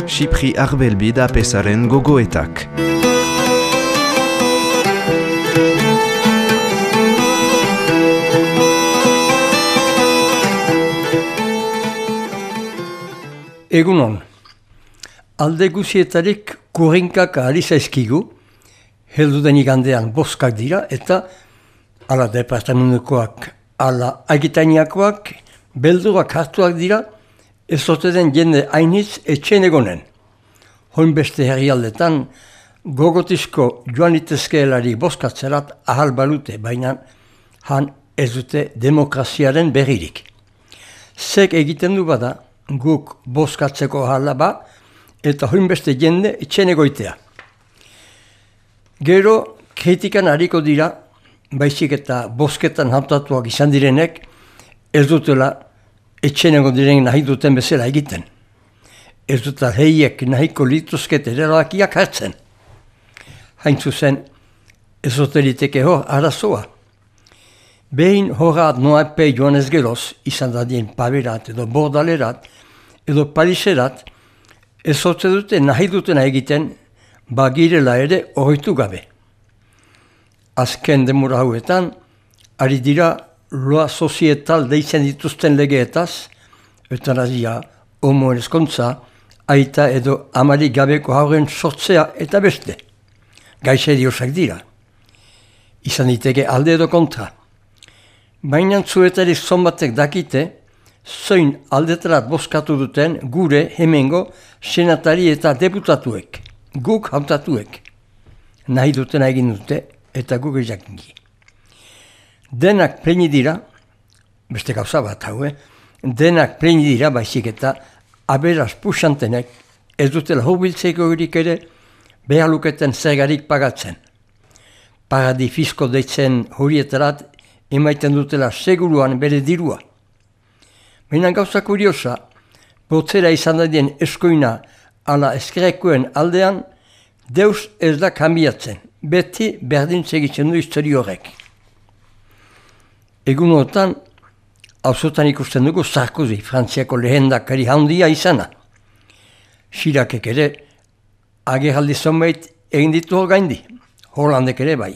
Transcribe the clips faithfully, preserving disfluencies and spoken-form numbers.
Xipri Arbelbid apesaren gogoetak. Egunon, alde guzietarik kurrinkak ahali zaizkigu, helduden igandean boskak dira, eta ala departamentukoak, ala agitainiakoak, beldurak hartuak dira, ez ote den jende hainitz etxen egonen. Hoin beste herrialdetan, gogotizko joan itezkeelari boskatzerat ahal balute, baina han ez dute demokraziaren berririk. Zek egiten du bada, guk boskatzeko ahala ba, eta hoin beste jende etxen egoitea. Gero, kritikan hariko dira, baizik eta bosketan hautatuak izan direnek, ez dutela etxen egon diren nahi duten bezala egiten. Ez dutela heiek nahiko lituzket erabakiak hartzen. Hain zuzen, ez oteliteke hor arazoa. Behin horrat noape joan ez geroz, izan dadien paberat edo bordalerat, edo paliserat, ez ote dute nahi dutena egiten, bagirela ere horretu gabe. Azken demura hauetan, ari dira loa sozietal deitzen dituzten legeetaz, eutanazia, homoen ezkontza, aita edo amari gabeko hauren sortzea eta beste. Gaixeriosak dira. Izan diteke alde edo kontra. Baina zuetarik zonbatek dakite, zoin aldetarat boskatu duten gure hemengo senatari eta deputatuek, guk hautatuek. Nahi dutena egin dute eta guk ezakingi. Denak pleini dira, beste gauza bat hau, eh? Denak pleini dira baizik eta aberaz puxantenek ez dutela hobiltzeko erik ere behar luketen zergarik pagatzen. Paradi fisko deitzen horietarat emaiten dutela seguruan bere dirua. Baina gauza kuriosa, botzera izan dadien eskoina ala eskerekoen aldean, deus ez da kanbiatzen, beti berdin segitzen du histori horrek. Egunotan, auzotan ikusten dugu Sarkozy, Frantziako lehendakari handia izana. Sirakek ere, agerraldi zonbait egin ditu hor gaindi, Hollandek ere bai.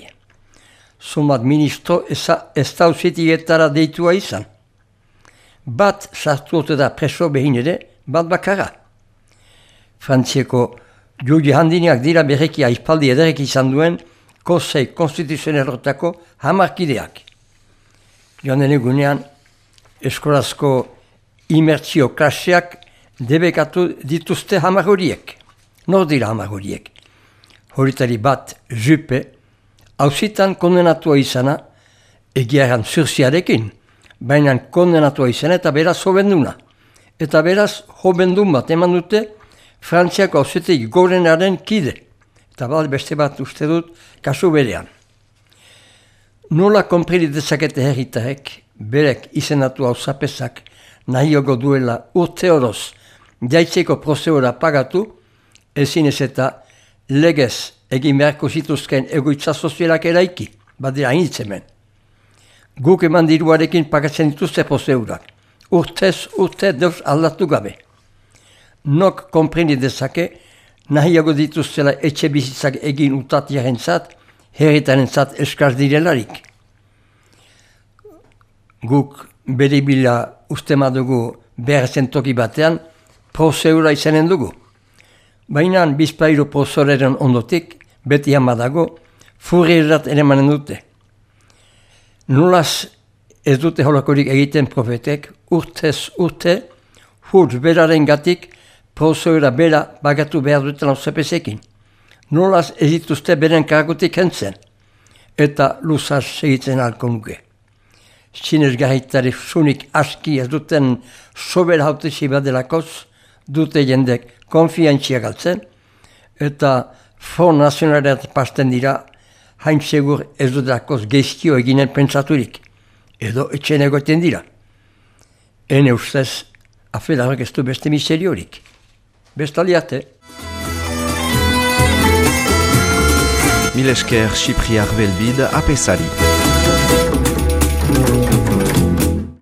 Zonbat ministro ez da uzitietara deitua izan. Bat sartu ote da preso behin ere, bat bakara. Frantzieko juge handinak dira berreki aipaldi ederek izan duen Konsei Konstituzionalotako hamarkideak. Joanen egunean, eskolazko imertzio klaseak debekatu dituzte hamar horiek. Nor dira hamar horiek. Horitari bat Juppe, hauzitan kondenatua izana, egiaran zurziarekin, baina kondenatua izan eta beraz hobenduna. Eta beraz hobendun bat eman dute Frantziako hauzetik gorenaren kide. Eta bat beste bat uste dut kasu berean. Nola konprili dezakete herritarek, berek izenatu hauzapezak nahiogo duela urte horoz jaitzeko prozedura pagatu, ezin ez eta legez egin beharko zituzken egoitza sozialak eraiki, badira hainitzemen. Guk eman diruarekin pagatzen dituzte prozedurak. Urtez, urte deus aldatu gabe. Nok konpreni dezake, nahiago dituztela etxe bizitzak egin utatiaren zat, herritaren zat eskaz direlarik. Guk bere bila uste madugu behar zentoki batean, prozedura izanen dugu. Baina bizpairu prozeduraren ondotik, beti hamadago, furrierat ere manen dute. Nolaz ez dute holakorik egiten profetek, urtez urte, hurtz beraren gatik, prozedura bera bagatu behar duten hauzepezekin. Nolaz ez dituzte beren kargutik hentzen, eta luzaz segitzen halko nuke. Sinesgarritari sunik aski ez duten sober hautezi badelakoz, dute jendek konfiantzia galtzen, eta Front Nazionalerat pasten dira, hain segur ez dudelakoz geizkio eginen pentsaturik, edo etxen egoten dira. Ene ustez, afelarrak ez du beste miseriorik. Bestaliate. Mil esker Xipri Arbelbid apesari.